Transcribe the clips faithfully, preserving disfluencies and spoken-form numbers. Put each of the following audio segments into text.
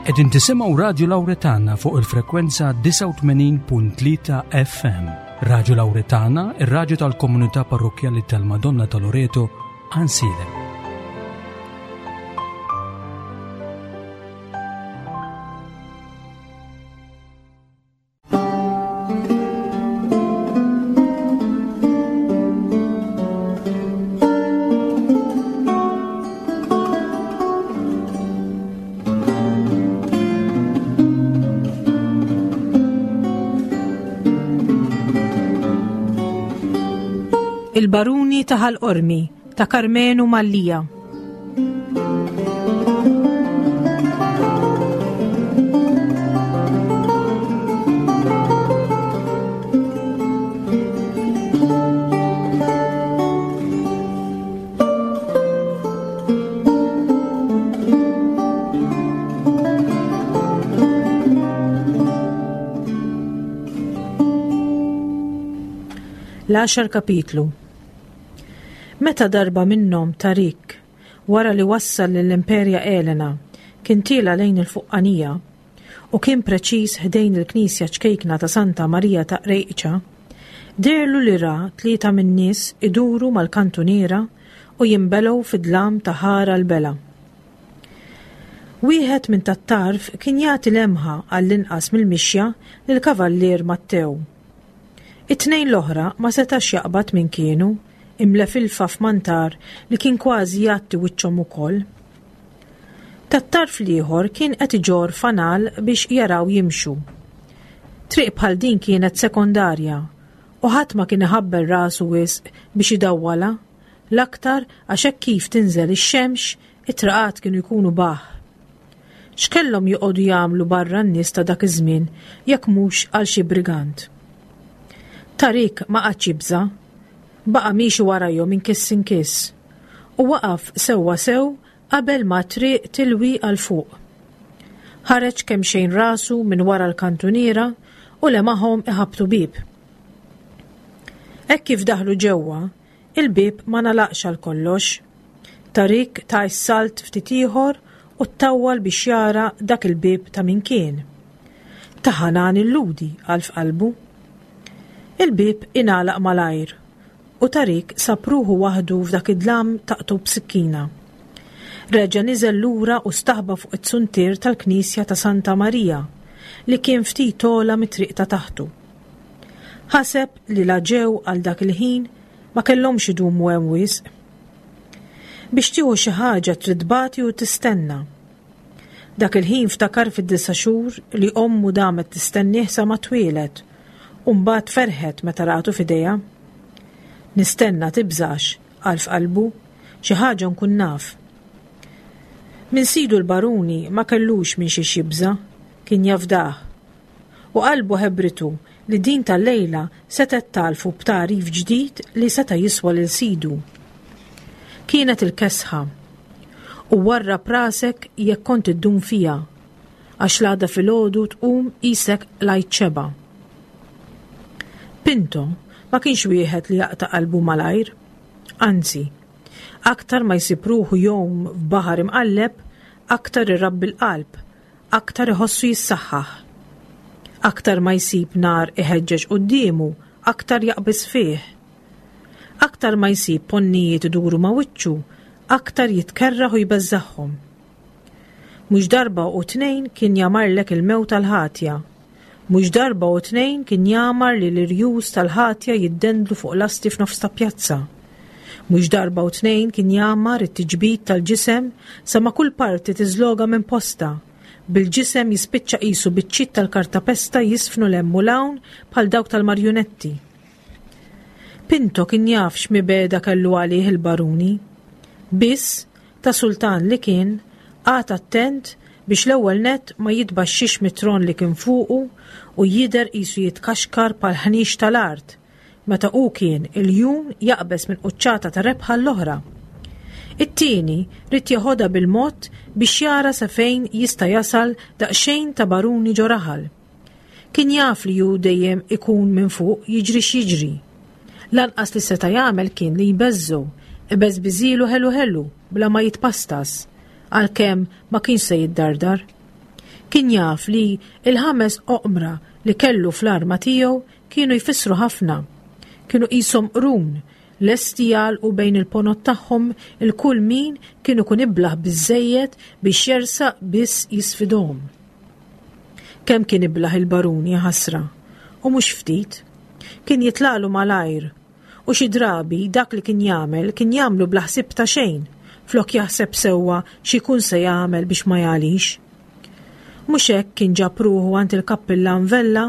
Qegħdin tisimgħu Radio Lauretana fuq il-frekwenza disgħa u tmenin punt tlieta F M. Radio Lauretana, ir-raġu tal-komunità parrokjali tal-Madonna ta' Loreto, Għajnsielem. Il-Baruni ta' Ħal Qormi ta' Karmenu Mallia. L-għaxar kapitlu. Meta darba minnhom Tarik, wara li wassal lill-Imperja Elena, kien tiela' lejn il-fuqqanija u kien preċiż ħdejn il-knisja ċkejkna ta' Santa Marija ta' Rejċa, deherlu li ra tlieta min-nies iduru mal-kantuniera u jinbelgħu fid-dlam ta' ħara l-bela. Wieħed minn tat-tarf kien jagħti lemħa għall-inqas mill-mixja lill-Kavallier Mattew. It-tnejn l-oħra ma setax jaqbad min kienu, imlefilfa f'mantar li kien kważi jgħatti wiċċhom ukoll. Tat-tarf l-ieħor kien qed iġorr fanal biex jaraw jimxu. Triq bħal din kienet sekondarja u ħadd ma kien iħabbel rasu wisq biex idawwala, l-aktar għax hekk kif tinżel ix-xemx it-traqat kienu jkunu baħ. X'kellhom joqogħdu jagħmlu barra n-nies ta' dak iż-żmien jekk mhux għal xi brigant? Tarik ma qagħadx jibża', baqa' miexi warajhom inkiss inkiss u waqaf sewwa sew qabel ma triq tilwi għal fuq. Ħareġ kemm xejn rasu minn wara l-kantuniera u lemaħhom iħabtu bieb. Hekk kif daħlu ġewwa, il-bieb ma nalaqx għal kollox. Tarik ta s-salt ftit ieħor u ttawwal biex jara dak il-bieb ta' min kien. Ta' Ħanan il-Lhudi, għal f'qalbu. Il-bieb ingħalaq malajr u Tarik sab ruħu waħdu f'dak id-dlam taqtgħu b'sikkina. Reġa' niżel lura u staħba fuq it-suntier tal-Knisja ta' Santa Marija li kien ftit ogħla mit-triq ta' taħtu. Ħaseb li la ġew għal dak il-ħin ma kellhomx idumu hemm wisq. Biex tieħu xi ħaġa trid tbati u tistenna. Dak il-ħin ftakar fid-disa' xhur li ommu damet tistennih sa ma twieled u mbagħad ferħet meta ratu f'idejha. Nistenna tibżax, qal f'qalbu, xi ħaġa nkun naf. Min sidu l-baruni ma kellux minn xi jibża, kien jafdah. U qalbu ħebritu li din tal-lejla setgħet tagħrfu b'tagħrif ġdid li seta' jiswa lil sidu. Kienet il-kesħa. U warrab rasek jekk kont iddum fija, għax l-għada filgħodu tqum qisek qlajt xebgħa. Pinto ma kienx wieħed li jaqta' qalbu malajr. Anzi, aktar ma jsib ruħu jgħum f'baħar imqalleb, aktar irabbi l-qalb, aktar iħossu jissaħħaħ. Aktar ma jsib nar iħeġġeġ quddiemu, aktar jaqbis fih. Aktar ma jsib ponnijiet iduru ma' wiċċu, aktar jitkerraħ u jbeżżagħhom. Mhux darba u tnejn kien jamarlek il-mewt tal-ħatja. Mhux darba u tnejn kien jamar li l-irjus tal-ħatja jiddendlu fuq lasti f'nofs ta' pjazza. Mhux darba u tnejn kien jamar it-tiġbid tal-ġisem sa ma kull parti tiżloga minn posta, bil-ġisem jispiċċa qisu biċċiet tal-kartapesta jisfnu 'l hemm u 'l hawn bħal dawk tal-marjunetti. Pinto kien jaf x'mibegħda kellu għalih il-baruni. Biss, ta' sultan li kien, qagħad attent biex l-ewwel net ma jitbaxxix mit-tron li kien fuqu u jidher qisu jitkaxkar bħal ħniex tal-art, meta hu kien iljun jaqbeż minn quċċata ta' rebħa l-oħra. It-tieni ried jeħodha bil-mod biex jara sa fejn jista' jasal daqsxejn ta' baruni ġo raħal. Kien jaf li hu dejjem ikun minn fuq jiġri x'jiġri. Lanqas li seta' jagħmel kien li jbeżżu, ibeżbiżilu ħelu ħelu bla ma jitpastas, għalkemm ma kienx se jiddardar. Kien jaf li il-ħames oqmra li kellu fl-arma tiegħu kienu jfissru ħafna. Kienu qishom qrun, lesti jagħlqu bejn il-ponot tagħhom il-kull min kienu kun iblaħ biżejjed biex jersaq biss jisfidhom. Kemm kien iblaħ il-barun ħasra, u mhux ftit. Kien jitlaqlu malajr, u xi drabi dak li kien jagħmel kien jagħmlu bla ħsieb ta' xejn, flok jaħseb sewwa x'ikun se jagħmel biex ma jagħlix. Mhux hekk kien ġab ruħu għand il-kappillan Vella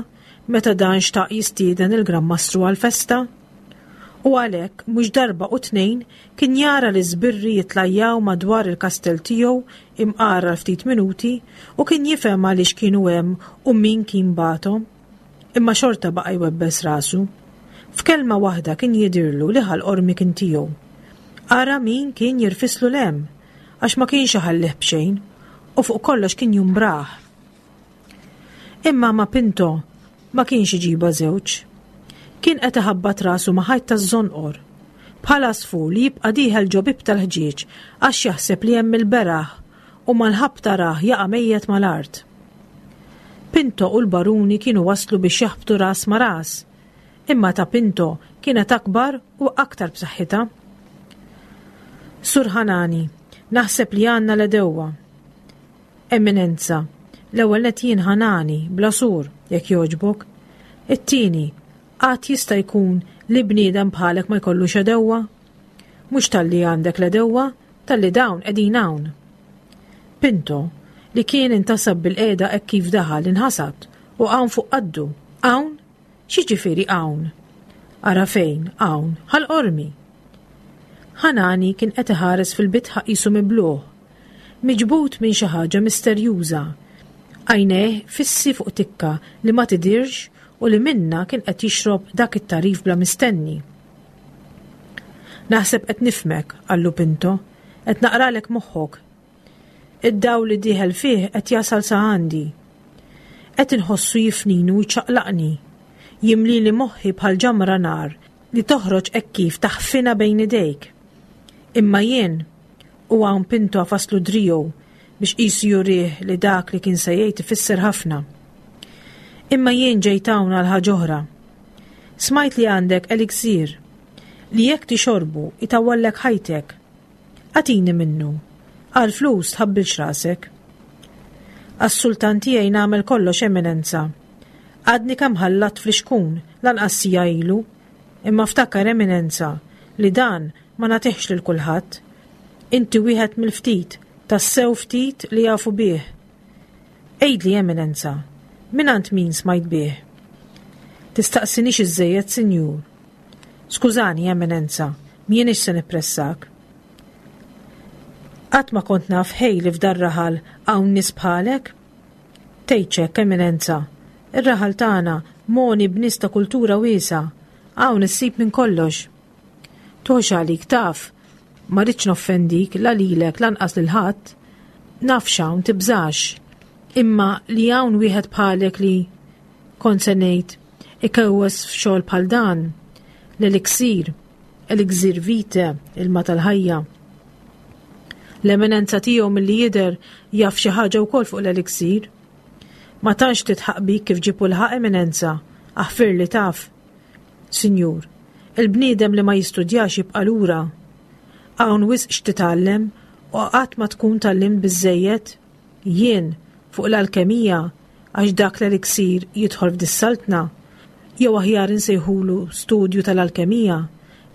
meta dan xtaq jistieden il-Gran Mastru għal-festa. U għalhekk mhux darba u tnejn kien jara li żbirri jitlajjaw madwar il-kastell tiegħu imqara ftit minuti u kien jifhem għaliex kienu hemm u min kien bagħathom. Imma xorta baqa' jwebbes rasu. F'kelma waħda kien jidirlu li Ħal Qormi kien tiegħu. Ara min kien jirfislu lem, għax ma kienx iħallih b'xejn, u fuq kollox kien jumbrah. Imma ma Pinto ma kienx iġiba żewġ. Kien qed iħabbat rasu ma' ħajt taż-żonqor. Bħal għasfur li jibqa' dieħel ġo bib tal-ħġieġ għax jaħseb li hemm il-beraħ u mal-ħabta rah jaqa' mejjet mal-art. Pinto u l-baruni kienu waslu biex jaħbtu ras ma' ras. Imma ta' Pinto kienet akbar u aktar b'saħħitha. Sur Ħanani, naħseb li għandna l-edewwa. Eminenza, l-ewwel nett jien Ħanani, bla sur, jekk jogħġbok. It-tieni, qatt jista' jkun li bniedem bħalek ma jkollux edewwa? Mhux talli għandek l-edewwa, talli dawn qegħdin hawn. Pinto, li kien intasab bil-qiegħda hekk kif daħal inħasad u hawn fuq qaddu. Hawn? X'jiġifieri hawn? Ara fejn, hawn, Ħal Qormi. Ħanani kien qed iħares fil-bitħa qisu mibluħ, miġbud minn xi ħaġa misterjuża. Għajnejh fissi fuq tikka li ma tidirx u li minna kien qed jixrob dak it-tarif bla mistenni. Naħseb qed nifmek, qallu Pinto, qed naqralek moħħok. Id-dawl li dieħel fih qed jasal sa għandi. Qed inħossu jifnini u jċaqlaqni. Jimlili moħħi bħal ġamra nar li toħroġ hekk kif taħfina bejn idejk. Imma jien, u hawn Pinto għafaslu driegħu biex qisu jurih li dak li kien se jgħid ifisser ħafna. Imma jien ġejt hawn għal ħaġa oħra. Smajt li għandek eliksir li jekk tixorbu itawwallek ħajtek. Agħtini minnu, għal flus tħabbilx rasek. Għas-sultan tiegħi nagħmel kollox, Eminenza. Għadni kemm ħallat fl-ixkun lanqas siegħa ilu, imma ftakar, Eminenza, li dan ma nagħtihx lil kulħadd. Inti wieħed mill-ftit, tassew ftit li jafu bih. Għidli, Eminenza, mingħand min smajt bih? Tistaqsinix iżżejjed, sinjur. Skużani, Eminenza, m'iniex se nippressak. Qatt ma kont naf ħej li f'dar raħal hawn nies bħalek? Tgħidx hekk, Eminenza. Ir-raħal tagħna moni b'nies ta' kultura wiesgħa. Hawn issib minn kollox. Toħx għalik taf, ma rridx noffendik la lilek lanqas lil ħadd. Naf x'hawn tibżax. Imma li hawn wieħed bħalek li kont se ngħid ikewwes f'xogħol bħal dan, l-eliksir, elixir vitae, ilma tal-ħajja. L-eminenza tiegħu milli jidher jaf xi ħaġa wkoll fuq l-eliksir. Ma tantx titħaq bik kif ġibu l-ħaq, Eminenza, aħfir li taf. Sinjur, il-bniedem li ma jistudjax jibqa' lura. Hawn wisq x'titgħallem u qatt ma tkun tgħallimt biżejjed. Jien fuq l-alkemija, għax dak l-eliksir jidħol f'dis-saltna, jew aħjar insejħulu studju tal-alkemija,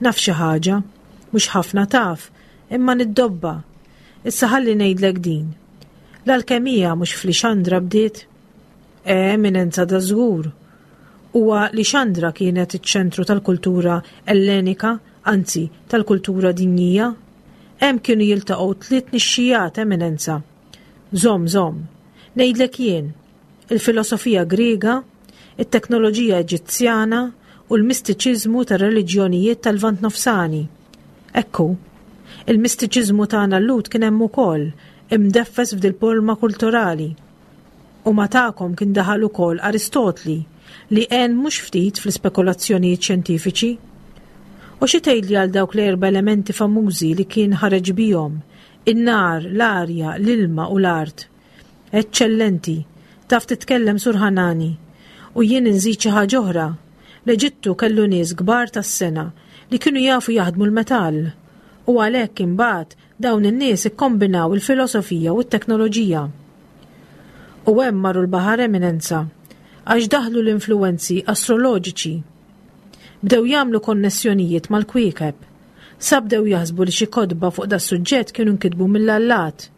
naf xi ħaġa, mhux ħafna taf, imma niddobba. Issa ħalli ngħidlek din. L-alkemija mhux f'Lixandra bdiet? E, Eminenza, da żgur. Huwa Lixandra kienet iċ-ċentru tal-kultura ellenika, anzi tal-kultura dinjija. Hemm kienu jiltaqgħu tliet nixxijat, Eminenza. Żomm, żomm. Ngħidlek jien, il-filosofija Griega, it-teknoloġija Eġizzjana u l-mistiċiżmu tar-reliġjonijiet tal-Lvant Nofsani. Ekku, il-mistiċiżmu tagħna l-Lhud kien hemm ukoll imdeffes f'dil-polma kulturali. U ma tagħkom kien daħal ukoll Aristotli li għen mhux ftit fl-ispekulazzjonijiet xjentifiċi. U xi tgħidli għal dawk l-erba' elementi famużi li kien ħareġ bihom, in-nar, l-arja, l-ilma u l-art? Eċċellenti, Taf titkellem, Sur Ħanani, u jien inżid xi ħaġa oħra. L-Eġittu kellu nies kbar tas-sengħa li kienu jafu jaħdmu l-metall. U għalhekk imbagħad dawn in-nies ikkombinaw il-filosofija u t-teknoloġija. U hemm marru l-baħar, Eminenza, għax daħlu l-influenzi astroloġiċi. Bdew jagħmlu konnessjonijiet mal-kwiekeb. Sa bdew jaħsbu li xi kotba fuq da suġġett kienu nkitbu mill-allat.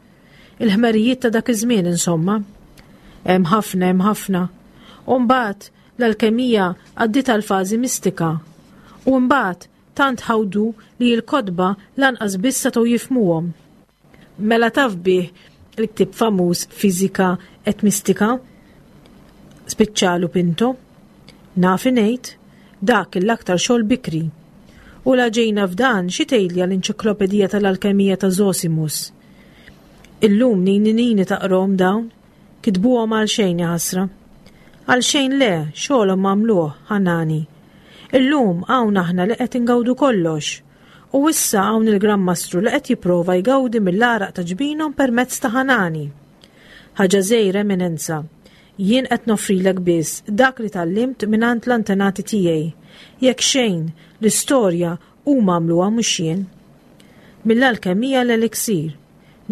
Il-ħmerijiet ta' dak iż-żmien, insomma. Hemm ħafna, hemm ħafna. U mbagħad l-alkemija għaddiet għal fażi mistika. U mbagħad tant ħawdu li l-kotba lanqas biss setgħu jifhmuhom. Mela taf bih il-ktib famuż Fizika et Mistika? Spiċċalu Pinto. Naf ngħid, dak l-aktar xogħol bikri. U la ġejna f'dan, xi tgħidli l-enċiklopedija tal-alkemija ta' Zosimus? Illum nini nini taqrom dawn, kitbuhom għal xejn, ħasra. Għal xejn le, xogħolhom għamluh, Ħanani. Illum hawn aħna li qed ingawdu kollox. U issa hawn il-Gran Mastru li qed jipprova jgawdi mill-għaraq ta' ġbinhom permezz ta' Ħanani. Ħaġa żgħira, Eminenza. Jien qed noffrilek biss dak li tgħallimt mingħand l-antenati tiegħi. Jekk xejn, l-istorja huma għamluha, mhux jien. Mill-alkemija l-eliksir,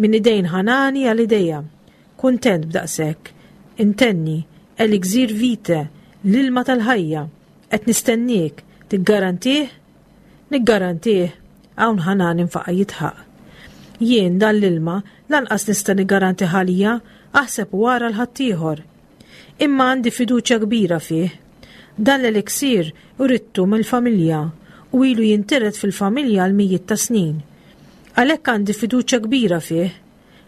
minn idejn Ħanani għal idejja. Kuntent b'daqshekk. Intenni, elixir vitae, l-ilma tal-ħajja. Qed nistenniek, tiggarantih? Niggarantih, hawn Ħanani nfaqa' jidħaq. Jien dan l-ilma lanqas nista' niggaranti għalija, aħseb wara 'l ħaddieħor. Imma għandi fiduċja kbira fih. Dan l-eliksir urittu mill-familja u ilu jintiret fil-familja għal mijiet ta' snin. Għalhekk għandi fiduċja kbira fih.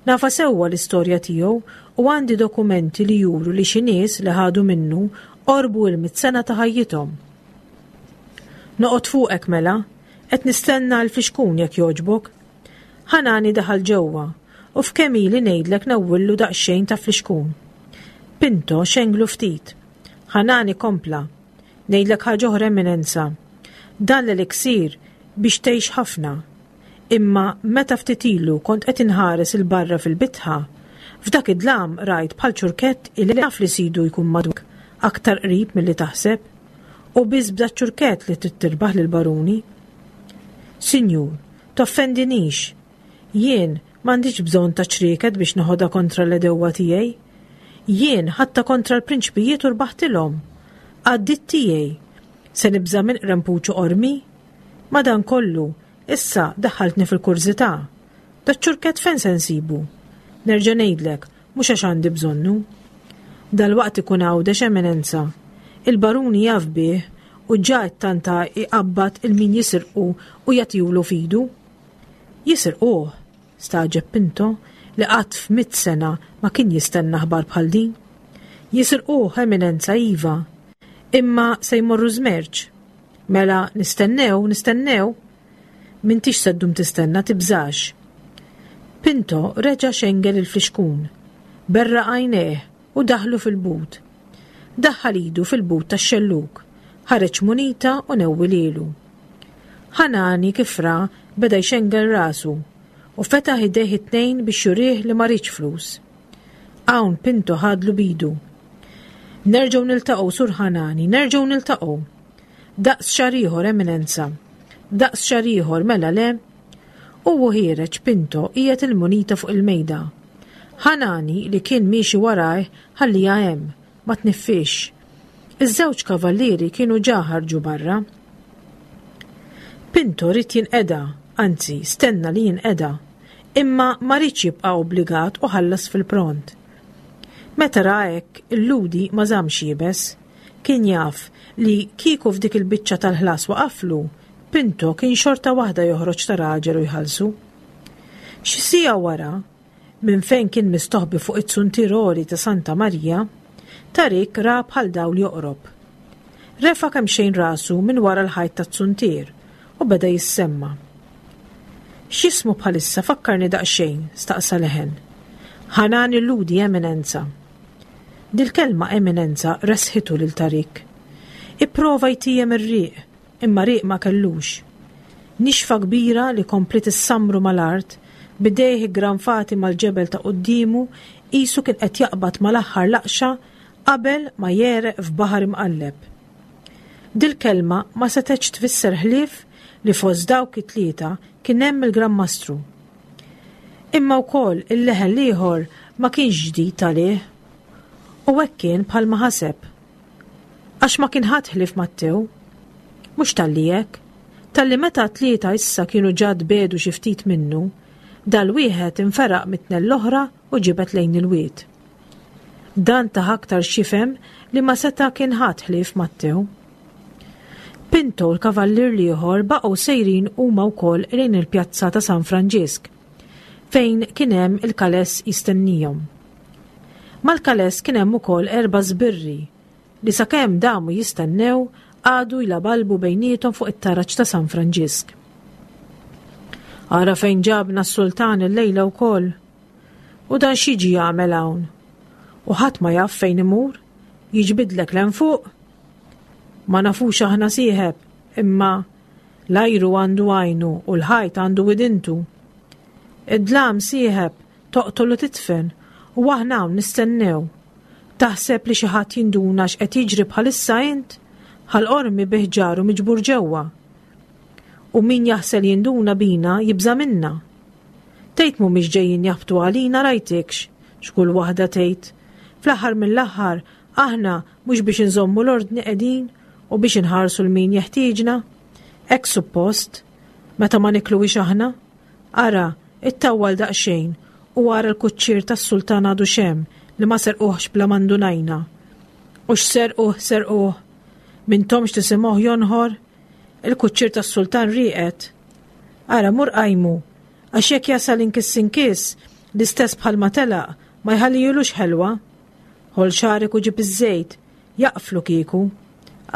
Nafha sewwa l-istorja tiegħu u għandi dokumenti li juru li xi nies li ħadu minnu qorbu il-mitt sena ta' ħajjithom. Noqgħod fuqek mela, qed nistenna l-flixkun jekk jogħġbok. Ħanani daħal ġewwa u f'kemm ili ngħidlek newwillu daqsxejn ta' flixkun. Pinto xenglu ftit. Ħanani kompla. Ngħidlek ħaġa oħra, Eminenza. Dan l-eliksir biex tgħix ħafna. Imma meta ftit ilu kont qed inħares 'il barra fil-bitħa, f'dak id-dlam rajt bħal ċurkett illi naf li sidu jkun madwak aktar qrib milli taħseb, u biss b'da ċurkett li trid tirbaħ lill-baruni. Sinjur, toffendinix. Jien m'għandix bżonn ta' ċrieket biex noħodha kontra l-għedewwa tiegħi. Jien ħadtha kontra l-prinċpijiet u rbaħtilhom. Għaddit tiegħi. Se nibża' minn qrempuċu qormi? Madankollu, issa daħħaltni fil-kurżità. Daċ-ċurkett fejn se nsibu? Nerġa' ngħidlek, mhux għax għandi bżonnu. Dal-waqt ikun Għawdex, Eminenza. Il-baruni jaf bih u ġa tanta iqabbad 'il min jisirqu u jagħtihulu f'idu. Jisirquh, stagħġeb Pinto li qatt f'mitt sena ma kien jistenna aħbar bħal din. Jisirquh, Eminenza, iva. Imma se jmorru żmerċ. Mela nistennew, nistennew. M'intix se ddum tistenna, tibżax. Pinto reġa' xengel il-flixkun. Berraq għajnejh u daħlu fil-but. Daħħal idu fil-but tax-xelluk. Ħareġ munita u newwilielu. Ħanani kif ra beda jxengel rasu u fetaħ idejh it-tnejn biex jurih li ma riedx flus. Hawn Pinto ħadlu b'idu. Nerġgħu niltaqgħu, Sur Ħanani, nerġgħu niltaqgħu. Daqs xahar ieħor, Eminenza. Daqs xahar ieħor, mela le? U ħiereġ, Pinto qiegħed il-munita fuq il-mejda. Ħanani li kien miexi warajh ħalliha hemm, ma tneffix. Iż-żewġ kavallieri kienu ġa ħarġu barra. Pinto ried jinqeda, anzi stenna li jinqeda, imma ma riedx jibqa' obbligat u ħallas fil-pront. Meta ra hekk, il-Lhudi ma żamx iebes. Kien jaf li kieku f'dik il-biċċa tal-ħlas waqaflu, Pinto kien xorta waħda joħroġ ta' raġel u jħallsu. Xi siegħa wara, minn fejn kien mistoħbi fuq it-suntier għoli ta' Santa Marija, Tarik ra bħal dawl joqrob. Refa' kemxejn rasu minn wara l-ħajt tat-suntier u beda jissemma. X'jismu bħalissa, fakkarni daqsxejn, staqsa leħen. Ħanani Lhudi, Eminenza. Dil-kelma "eminenza" resħitu lil Tarik. Ipprova jtiem ir-riq, imma riq ma kellux. Nixfa kbira li kompliet issamru mal-art, b'idejh iggranfati mal-ġebel ta' quddiemu. qisu kien qed jaqbad mal-aħħar laqxa qabel ma jegħreq f'baħar imqalleb. Dil-kelma ma setgħetx tfisser ħlief li fost dawk it-tlieta kien hemm il-Gran Mastru. Imma wkoll il-leħen l-ieħor ma kienx ġdid għalih. U hekk kien bħalma ħaseb. Għax ma kien ħadd ħlief Mattew. Mhux talli hekk, talli meta tlieta issa kienu ġa tbiegħdu xi ftit minnu, dal-wieħed inferaq mit-tnejn l-oħra u ġibed lejn il-wied. Dan tah aktar x'jifhem li ma seta' kien ħadd ħlief Mattew. Pinto u l-kavallier l-ieħor baqgħu sejrin huma wkoll lejn il-pjazza ta' San Franġisk, fejn kien hemm il-kaless jistennihom. Mal-kaless kien hemm ukoll erba' żbirri li sakemm damu jistennew qagħdu jlabalbu bejniethom fuq it-taraġ ta' San Franġisk. Ara fejn ġabna s-sultan illejla wkoll. U dan x'jiġi jagħmel hawn? U ħadd ma jaf fejn imur? Jiġbidlek 'l fuq? Ma nafux aħna sieħeb, imma l-ajru għandu għajnu u l-ħajt għandu widintu. Id-dlam sieħeb toqtol u titfen u aħna hawn nistennew. Taħseb li xi ħadd jinduna x'qed jiġri bħalissa int? Ħal Qormi bi ħġaru miġbur ġewwa. U min jaħsel jinduna bina jibża' minna. Tgħid mhumiex ġejjin jaħbtu għalina rajtikx, x'kull waħda tgħid. Fl-aħħar mill-aħħar aħna mhux biex inżommu l-ordni qegħdin u biex inħarsu 'l min jeħtieġna. Hekk suppost, meta ma nikluwix aħna. Ara, ittawwal daqsxejn u ara l-kuċċier tas-sultan għadu xem li ma serquhx bla ma ndunajna. U x'serquh serquh, m'intomx tisimgħuh jonħor, il-kuċċier tas-sultan rieqed. Ara mur qajmu, għax jekk jasal inkiss inkiss, l-istess bħalma telaq, ma jħallijulux ħelwa. Ħoll xagħrek u ġib iż-żejt, jaqflu kieku.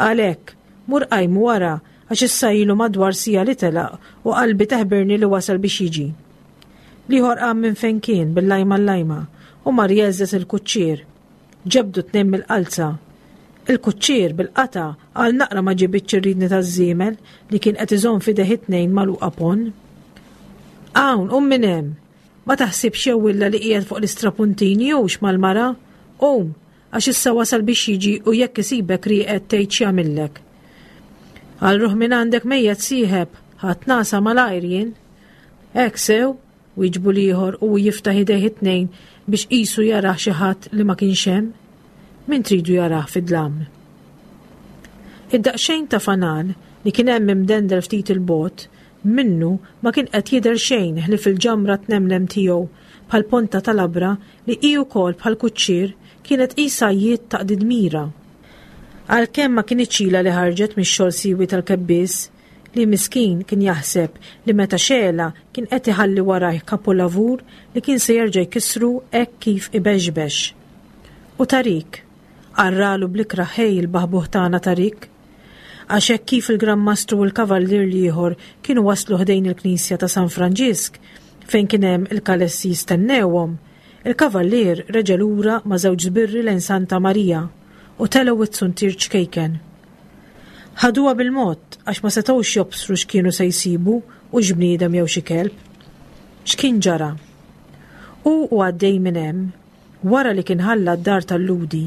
Għalhekk, mur qajmu wara, għax issa ilu madwar siegħa li telaq u qalbi teħbirni li wasal biex jiġi. L-ieħor qam minn fejn kien bil-lajma l-lajma u mar jgħeżżeż il-kuċċier. Ġebdu tnejn mill-qalza. Il-kuċċier bil-qata għal naqra ma ġibitx ir-ridni taż-żiemel li kien qed iżomm f'idejh it-tnejn magħluqa ponn. Hawn, qum minn hemm. Ma taħsibx jew illa li qiegħed fuq l-istrapuntini hux mal-mara? Qum, għax issa wasal biex jiġi u jekk isibek rieqed tgħid x'jagħmillek. Għal ruħ minn għandek mejjet sieħeb, ħadd nasa malajr jien. Hekk sew, wieġbu l-ieħor u jiftaħ idejh it-tnejn biex qisu jarah xi ħadd li ma kienx hemm. Min tridu jarah fid-dlam? Id-daqsxejn ta' fanal li kien hemm imdendel ftit il-bogħod minnu ma kien qed jidher xejn ħlief il-ġamra tnemlem tiegħu bħal ponta tal-labra li hi wkoll bħal kuċċier kienet qisha jiet taqdi dmira. Għalkemm ma kinitx ilha li ħarġet mix-xogħol siwi tal-kebbies, li miskin kien jaħseb li meta xela kien qed iħalli warajh kapolavur li kien se jerġa' jkissru hekk kif ibexbex. U Tarik, qarralu bl-ikrah ħej il-baħbuħ tagħna Tarik, għax hekk kif il-Gran Mastru u l-Kavallier l-ieħor kienu waslu ħdejn il-Knisja ta' San Franġisk fejn kien hemm il-kalessi jistennewhom, il-Kavallier reġa' lura ma' żewġ żbirri lejn Santa Marija u telgħu it-suntier ċkejken. Ħaduha bil-mod għax ma setgħux jobsru x'kienu se jsibu u x'bniedem jew xi kelb. X'kien ġara? U u għaddej minn hemm, wara li kien ħalla d-dar tal-Ludi,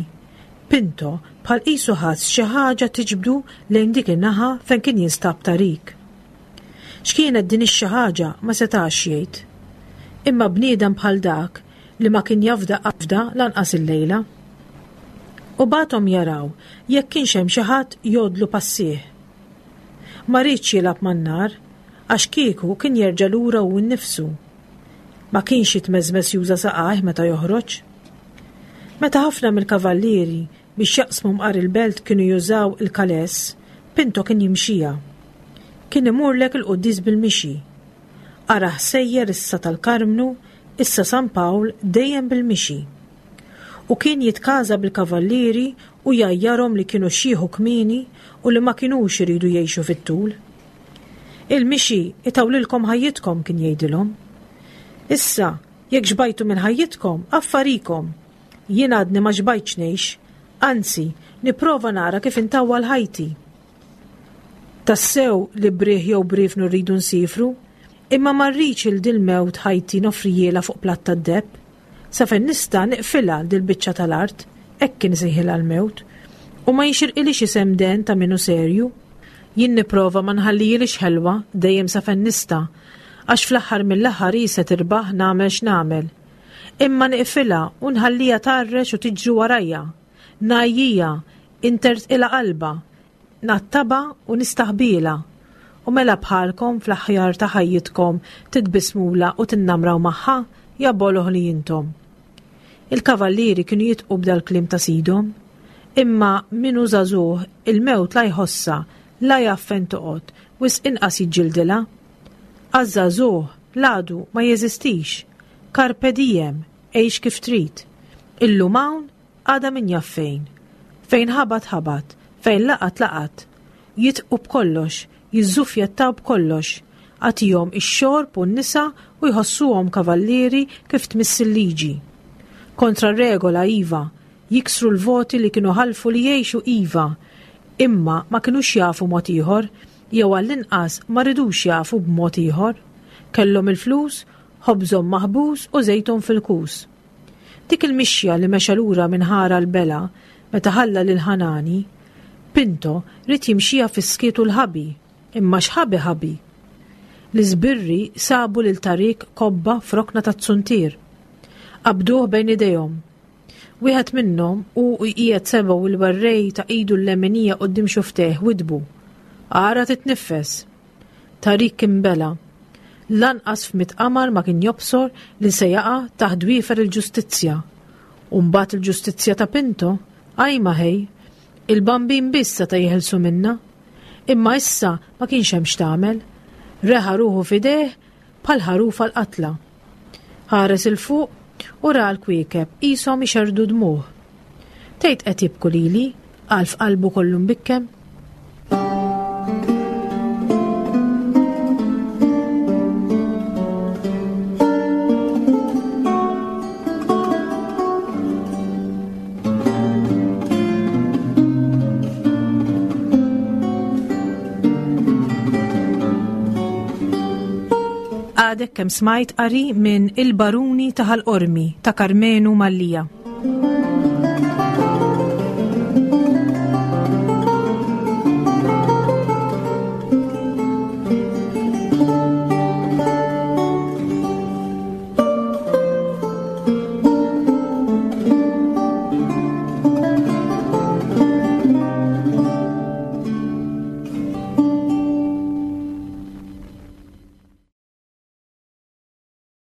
Pinto bħal qisu ħass xi ħaġa tiġbdu lejn dik in-naħa fejn kien jinstab Tarik. X'kienet din ix-xi ħaġa ma setax jgħid. Imma bniedem bħal dak li ma kien jafda qabda lanqas illejla. U bagħathom jaraw jekk kienx hemm xi ħadd jgħoddlu passih. Ma riedx jilgħab man-nar għax kieku kien jerġa' lura hu nnifsu. Ma kienx jitmeżmeż juża saqajh meta joħroġ. Meta ħafna mill-kavallieri biex jaqsmu mqar il-belt kienu jużaw il-kaless, Pinto kien jimxija. Kien imurlek il-quddis bil-mixi. Ara sejjer issa tal-Karmnu, issa San Pawl dejjem bil-mixi. U kien jitkaża bil-kavallieri u jgħajjarhom li kienu xieħu kmieni u li ma kinux iridu jgħixu fit-tul. Il-mixi itawlilkom ħajjitkom kien jgħidilhom. Issa, jekk xbajtu minn ħajjitkom, affarikom. Jien għadni ma xbajtx ngħix, anzi, nipprova nara kif intawwal ħajti. Tassew li briħ jew brifnu rridu nsifru, imma ma rridx il dil-mewt ħajti noffrijiela fuq platt tad-deheb. Sa fejn nista' niqfilha dil-biċċa tal-art, hekk kien isejħilha l-mewt, u ma jixirqilix isem den ta' minnu serju. Jien nipprova ma nħallijilix ħelwa dejjem sa fejn nista', għax fl-aħħar mill-aħħar hi se tirbaħ nagħmel x'nagħmel. Imma niqfilha u nħallija tgħarrex u tiġri warajja. Ngħajjija, intertqilha qalbha, nattabha u nistaħbilha. U mela bħalkom fl-aħjar ta' ħajjitkom titbismula u tinnamraw magħha, ja boloh li intom. Il-kavallieri kienu jidħqu b'dal-kliem ta' sidhom. Imma min hu żagħżugħ il-mewt la jħossha, la jaf fejn toqgħod, wisq inqas jiġġildilha. Għaż-żagħżugħ l-għadu ma jeżistix. Carpe diem, għix kif trid. Illum hawn, għada min jaf fejn. Fejn ħabat ħabat, fejn laqat laqat. Jidħqu b'kollox, jiżżufjettaw b'kollox. Agħtihom ix-xorb u n-nisa u jħossuhom kavallieri kif tmiss il-liġi. Kontra regola iva, jiksru l-voti li kienu ħalfu li jgħixu iva, imma ma kinux jafu mod ieħor, jew għall-inqas ma ridux jafu b'mod ieħor. Kellhom il-flus, ħobżhom maħbus u żejthom fil-kus. Dik il-mixja li mexa lura minn ħara l-bela meta ħalla lil Ħanani, Pinto ried jimxija fis-skiet u l-ħabi, imma x'ħabi ħabi. L-iżbirri sabu lil Tarik kobba f'rokna tat-suntier. Qabduh bejn idejhom. Wieħed minnhom u jqiegħed sebgħu il-werrej ta' idu l-leminija quddiem xuftejh widbu. Ara titniffes. Tarik kien bela. Lanqas f'mitt qamar ma kien jobsor li se jaqa' taħt dwiefer il-ġustizzja. U mbagħad il-ġustizzja ta' Pinto, ajma ħej, il-bambin biss seta' jeħilsu minna. Imma issa ma kienx hemm x'tagħmel. Reħa ruħu f'idejh bħal ħaruf għall-qatla. Ħares 'il fuq u ra l-kwiekeb qishom ixerrdu dmugħ. Tgħid qed jibku lili, qal f'qalbu kollu mbikkem. Għadek kemm smajt qari minn Il-Baruni ta' Ħal Qormi ta' Karmenu Mallia.